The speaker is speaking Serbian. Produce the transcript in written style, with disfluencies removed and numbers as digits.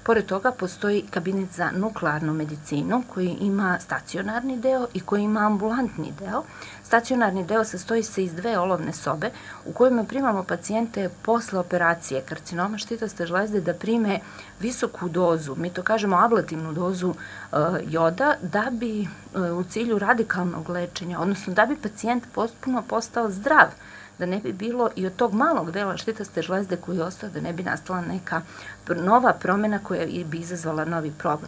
Pored toga postoji kabinet za nuklearnu medicinu koji ima stacionarni deo i koji ima ambulantni deo. Stacionarni deo sastoji se iz dve olovne sobe u kojima primamo pacijente posle operacije karcinoma štitoste žlezde da prime visoku dozu, mi to kažemo ablativnu dozu joda, da bi u cilju radikalnog lečenja, odnosno da bi pacijent potpuno postao zdrav, da ne bi bilo i od tog malog dela štitoste žlezde koji je ostao, da ne bi nastala neka nova promena koja bi izazvala novi problem.